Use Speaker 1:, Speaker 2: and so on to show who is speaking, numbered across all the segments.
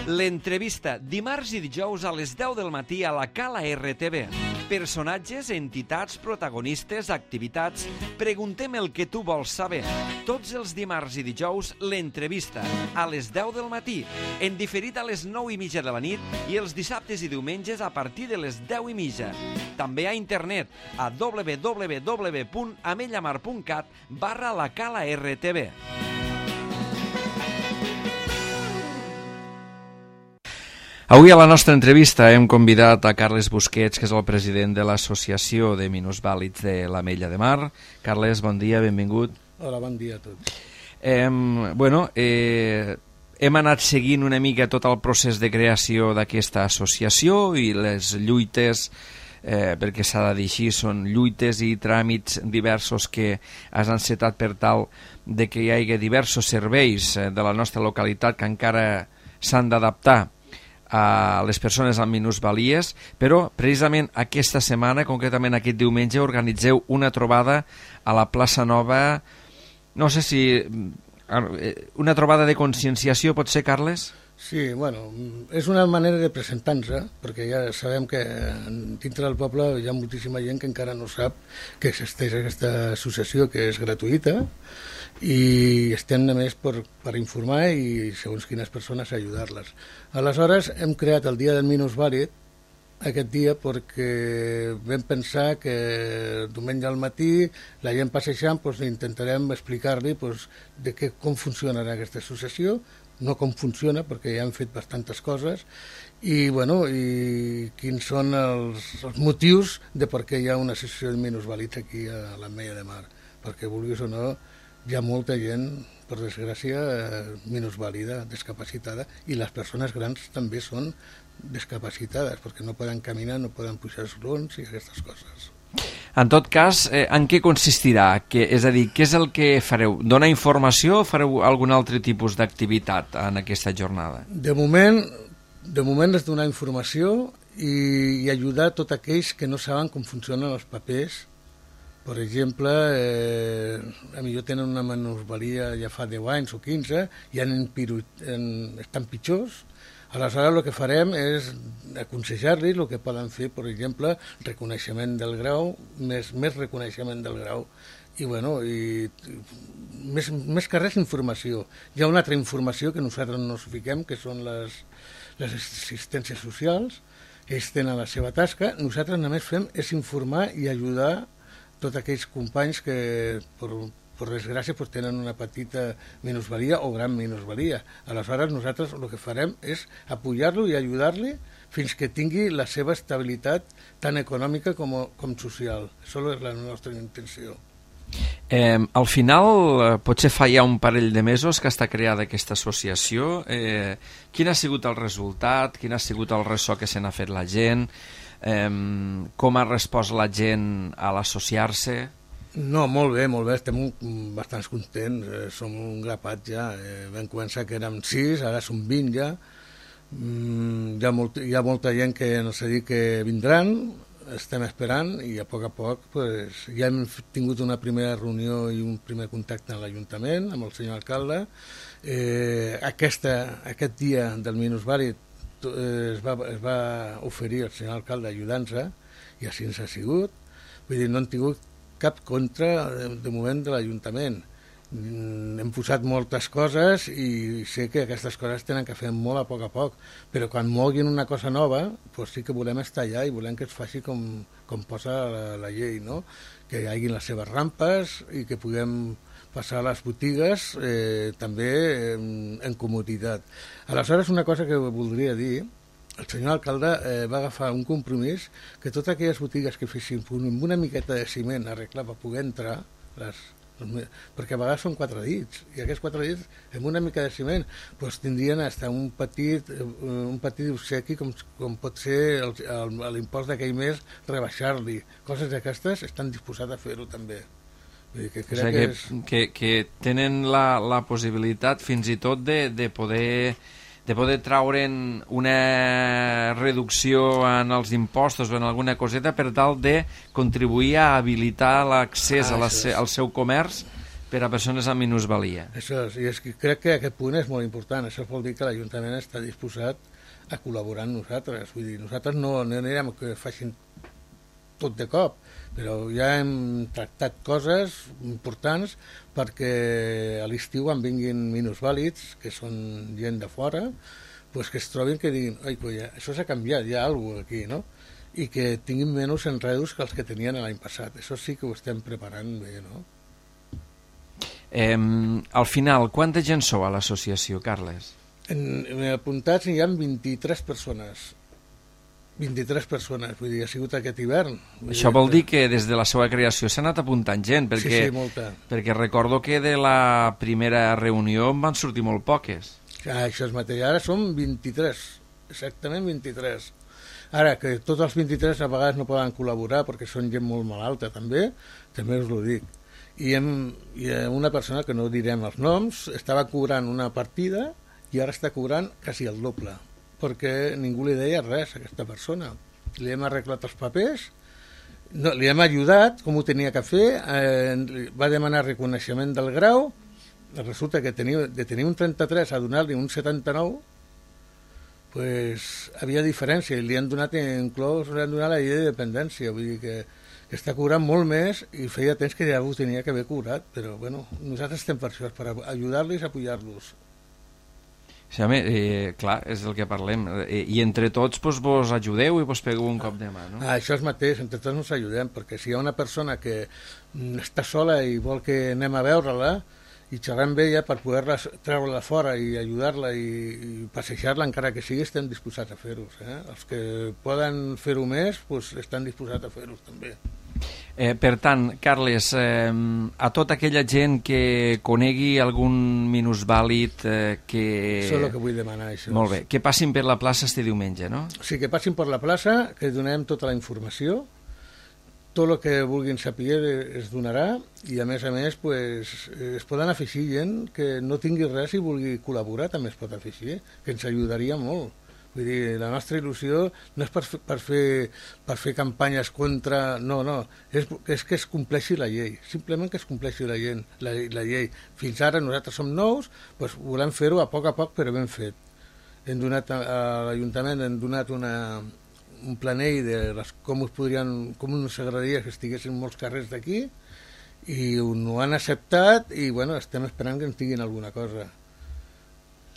Speaker 1: L'entrevista, dimarts i dijous a les 10 del matí a la Cala RTV. Personatges, entitats, protagonistes, activitats... Preguntem el que tu vols saber. Tots els dimarts i dijous, l'entrevista, a les 10 del matí, en diferit a les 9:30 de la nit i els dissabtes i diumenges a partir de les 10:30. També a internet a www.amellamar.cat/la Cala RTV. Avui a la nostra entrevista hem convidat a Carles Busquets, que és el president de l'Associació de Minusvàlids de l'Ametlla de Mar. Carles, bon dia, benvingut.
Speaker 2: Hola, bon dia a tots.
Speaker 1: Hem anat seguint una mica tot el procés de creació d'aquesta associació i les lluites, perquè s'ha de dir així, són lluites i tràmits diversos que has encetat per tal de que hi hagi diversos serveis de la nostra localitat que encara s'han d'adaptar a les persones amb minusvalies, però precisament aquesta setmana, concretament aquest diumenge, organitzeu una trobada a la plaça Nova, no sé si... una trobada de conscienciació, pot ser, Carles?
Speaker 2: Sí, bueno, és una manera de presentar-nos, perquè ja sabem que dintre del poble hi ha moltíssima gent que encara no sap que existeix aquesta associació, que és gratuïta, i estem només per informar i segons quines persones ajudar-les. Aleshores hem creat el Dia del Minusvàlid aquest dia perquè vam pensar que diumenge al matí la gent passejant, intentarem explicar-li com funciona aquesta associació, no com funciona perquè ja hem fet bastantes coses i quins són els motius de per què hi ha una associació de minusvàlids aquí a l'Ametlla de Mar, perquè vulguis o no hi ha molta gent, per desgràcia, minusvàlida, discapacitada, i les persones grans també són discapacitades, perquè no poden caminar, no poden pujar esglaons i aquestes coses.
Speaker 1: En tot cas, en què consistirà? És a dir, què és el que fareu? Donar informació o fareu algun altre tipus d'activitat en aquesta jornada?
Speaker 2: De moment és donar informació i ajudar tots aquells que no saben com funcionen els papers. Per exemple, potser tenen una minusvalia ja fa 10 anys o 15 i estan pitjors. Aleshores el que farem és aconsejar-los el que poden fer, per exemple, reconeixement del grau, més reconeixement del grau. I més que res informació. Hi ha una altra informació que nosaltres no us fiquem, que són les assistències socials. Ells tenen la seva tasca. Nosaltres només fem és informar i ajudar tots aquells companys que, per desgràcia, tenen una petita minusvalia o gran minusvalia. Aleshores, nosaltres el que farem és apoyar-lo i ajudar-li fins que tingui la seva estabilitat tant econòmica com social. Això és la nostra intenció.
Speaker 1: Al final, potser fa ja un parell de mesos que està creada aquesta associació. Quin ha sigut el resultat? Quin ha sigut el ressò que se n'ha fet la gent? Com ha respost la gent a l'associar-se?
Speaker 2: No, molt bé, estem bastant contents, som un grapat ja, vam començar que érem 6, ara som 20 ja, hi ha molta gent que no sé dir que vindran, estem esperant i a poc ja hem tingut una primera reunió i un primer contacte amb l'Ajuntament, amb el senyor alcalde. Aquest dia del minusvàlid es va oferir el senyor alcalde ajudant-se i així ens ha sigut. Vull dir, no hem tingut cap contra de moment de l'Ajuntament. Hem posat moltes coses i sé que aquestes coses tenen que fer molt a poc, però quan moguin una cosa nova sí que volem estar allà i volem que es faci com posa la llei, no? Que hi hagi les seves rampes i que puguem passar a les botigues també en comoditat. Aleshores, una cosa que voldria dir, el senyor alcalde va agafar un compromís que totes aquelles botigues que fessin amb una miqueta de ciment arreglar per poder entrar, perquè a vegades són 4 dits, i aquests 4 dits amb una mica de ciment tindrien hasta un petit obsequi com pot ser l'impost d'aquell mes, rebaixar-li. Coses d'aquestes estan disposats a fer-ho també.
Speaker 1: Que tenen la possibilitat fins i tot de poder traure'n una reducció en els impostos o en alguna coseta per tal de contribuir a habilitar l'accés al seu comerç Per a persones amb minusvalia.
Speaker 2: Això és, i és que crec que aquest punt és molt important. Això vol dir que l'Ajuntament està disposat a col·laborar amb nosaltres. Vull dir, nosaltres no anirem que facin tot de cop, però ja hem tractat coses importants perquè a l'estiu quan vinguin minusvàlids, que són gent de fora, pues que es trobin que diguin, oi, pues això s'ha canviat, hi ha alguna cosa aquí, no? I que tinguin menys enredos que els que tenien l'any passat. Això sí que ho estem preparant bé, no?
Speaker 1: Al final, quanta gent sou a l'associació, Carles?
Speaker 2: En apuntats hi ha 23 persones. 23 persones, vull dir, ha sigut aquest hivern.
Speaker 1: Això vol dir que des de la seva creació s'ha anat apuntant gent, perquè,
Speaker 2: sí, molta.
Speaker 1: Perquè recordo que de la primera reunió en van sortir molt poques.
Speaker 2: Això és mateix, ara som 23, exactament 23. Ara, que tots els 23 a vegades no poden col·laborar perquè són gent molt malalta també us ho dic. I una persona, que no direm els noms, estava cobrant una partida i ara està cobrant quasi el doble, perquè ningú li deia res a aquesta persona. Li hem arreglat els papers, no, li hem ajudat com ho tenia que fer, va demanar reconeixement del grau, resulta que de tenir un 33 a donar-li un 79, pues, havia diferència, i li han donat inclòs, li han donat la llei de dependència, vull dir que està cobrant molt més i feia temps que ja ho tenia que haver cobrat, però bueno, nosaltres estem per això, per ajudar-los a apoyar-los.
Speaker 1: Sí, home, clar, és del que parlem. I entre tots vos ajudeu i vos pegueu un cop de mà, no?
Speaker 2: Això és mateix, entre tots ens ajudem, perquè si hi ha una persona que està sola i vol que anem a veure-la i xerrar amb ella per poder-la treure-la fora i ajudar-la i passejar-la, encara que sigui, estem disposats a fer-ho. Els que poden fer-ho més, doncs estan disposats a fer-ho també.
Speaker 1: Per tant, Carles, a tota aquella gent que conegui algun minusvàlid que...
Speaker 2: Això és el que vull demanar, això.
Speaker 1: Molt bé, que passin per la plaça este diumenge, no?
Speaker 2: Sí, que passin per la plaça, que donem tota la informació, tot el que vulguin saber es donarà, i a més, pues, es poden afegir gent que no tingui res i vulgui col·laborar, també es pot afegir, que ens ajudaria molt. Vull dir, la nostra il·lusió no és per fer campanyes contra... No, és que es compleixi la llei, simplement que es compleixi la llei. Fins ara nosaltres som nous, doncs volem fer-ho a poc però ben fet. Hem donat a l'Ajuntament un planell de com ens agradaria que estiguessin molts carrers d'aquí, i ho han acceptat i bueno, estem esperant que ens diguin alguna cosa.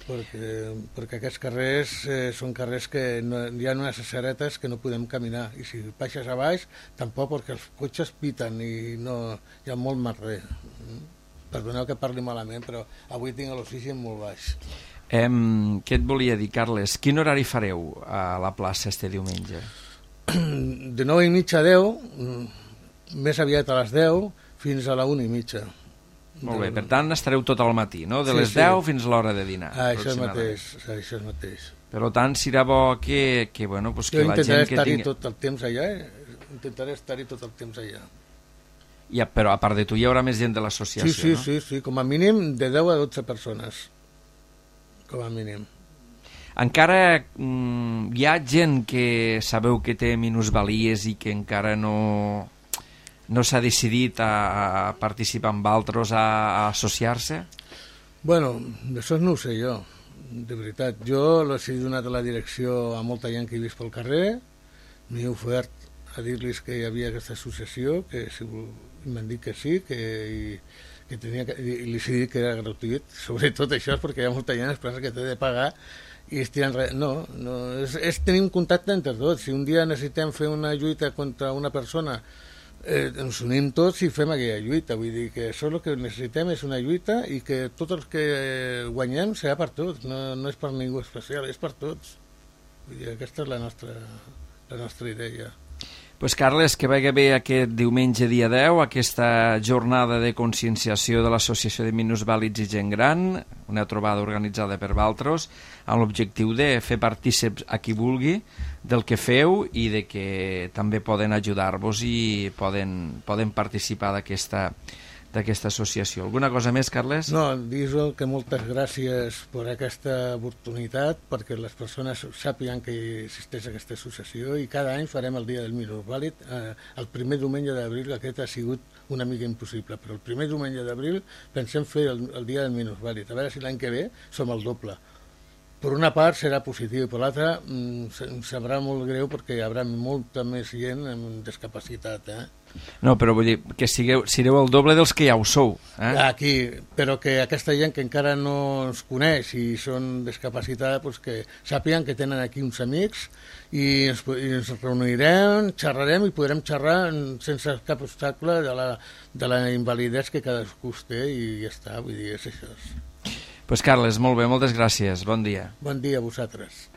Speaker 2: Perquè aquests carrers són carrers que hi ha unes aceretes que no podem caminar, i si baixes a baix tampoc, perquè els cotxes piten i no, hi ha molt merder. Perdoneu que parli malament, però avui tinc l'oxigen molt baix.
Speaker 1: Què et volia dir, Carles? Quin horari fareu a la plaça este diumenge?
Speaker 2: De 9:30 a 10, més aviat a les 10 fins a la 1:30.
Speaker 1: Molt bé, per tant estareu tot al matí, no? De les 10 fins a l'hora de dinar.
Speaker 2: Això és mateix.
Speaker 1: Per tant, serà bo que bueno, pues que la gent que tingui...
Speaker 2: Jo intentaré estar-hi tot el temps allà, intentaré estar-hi tot el temps allà.
Speaker 1: Però a part de tu hi haurà més gent de l'associació, no?
Speaker 2: Sí, com a mínim de 10 a 12 persones, com a mínim.
Speaker 1: Encara hi ha gent que sabeu que té minusvalies i que encara no s'ha decidit a participar amb altres, a associar-se?
Speaker 2: Bueno, això no ho sé jo, de veritat. Jo les he donat a la direcció a molta gent que he vist pel carrer, m'he ofert a dir-los que hi havia aquesta associació, que si m'han dit que sí, que tenia que, i li he dit que era gratuït. Sobretot això és perquè hi ha molta gent que que té de pagar i es tiren res. No, és tenir un contacte entre tots. Si un dia necessitem fer una lluita contra una persona, ens unim tots i fem aquella lluita. Vull dir que això el que necessitem és una lluita i que tots els que guanyem serà per tots, no és per ningú especial, és per tots. Vull dir, aquesta és la nostra idea.
Speaker 1: Pues Carles, que vagi bé aquest diumenge dia 10, aquesta jornada de conscienciació de l'Associació de Minusvàlids i Gent Gran, una trobada organitzada per Valtros, amb l'objectiu de fer partícips a qui vulgui del que feu i de que també poden ajudar-vos i poden participar d'aquesta associació. Alguna cosa més, Carles?
Speaker 2: No, dir-vos que moltes gràcies per aquesta oportunitat, perquè les persones sàpiguen que existeix aquesta associació, i cada any farem el dia del minusvàlid. El primer diumenge d'abril, aquest ha sigut una mica impossible, però el primer diumenge d'abril pensem fer el dia del minusvàlid. A veure si l'any que ve som el doble. Per una part serà positiu, i per l'altra em sabrà molt greu perquè hi haurà molta més gent amb discapacitat.
Speaker 1: No, però vull dir que sereu el doble dels que ja ho sou.
Speaker 2: Aquí, però que aquesta gent que encara no ens coneix i són discapacitada, doncs que sàpiguen que tenen aquí uns amics i ens reunirem, xerrarem i podrem xerrar sense cap obstacle de la invalidesa que cadascú té, i ja està, vull dir, és això.
Speaker 1: Doncs Carles, molt bé, moltes gràcies, bon dia.
Speaker 2: Bon dia a vosaltres.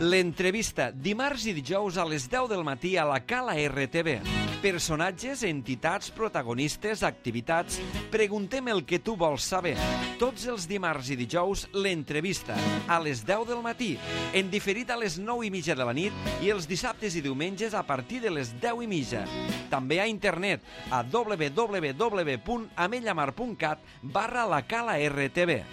Speaker 1: L'entrevista, dimarts i dijous a les 10 del matí a la Cala RTV. Personatges, entitats, protagonistes, activitats... Preguntem el que tu vols saber. Tots els dimarts i dijous, l'entrevista, a les 10 del matí, en diferit a les 9:30 de la nit i els dissabtes i diumenges a partir de les 10:30. També a internet a www.amellamar.cat/la Cala RTV.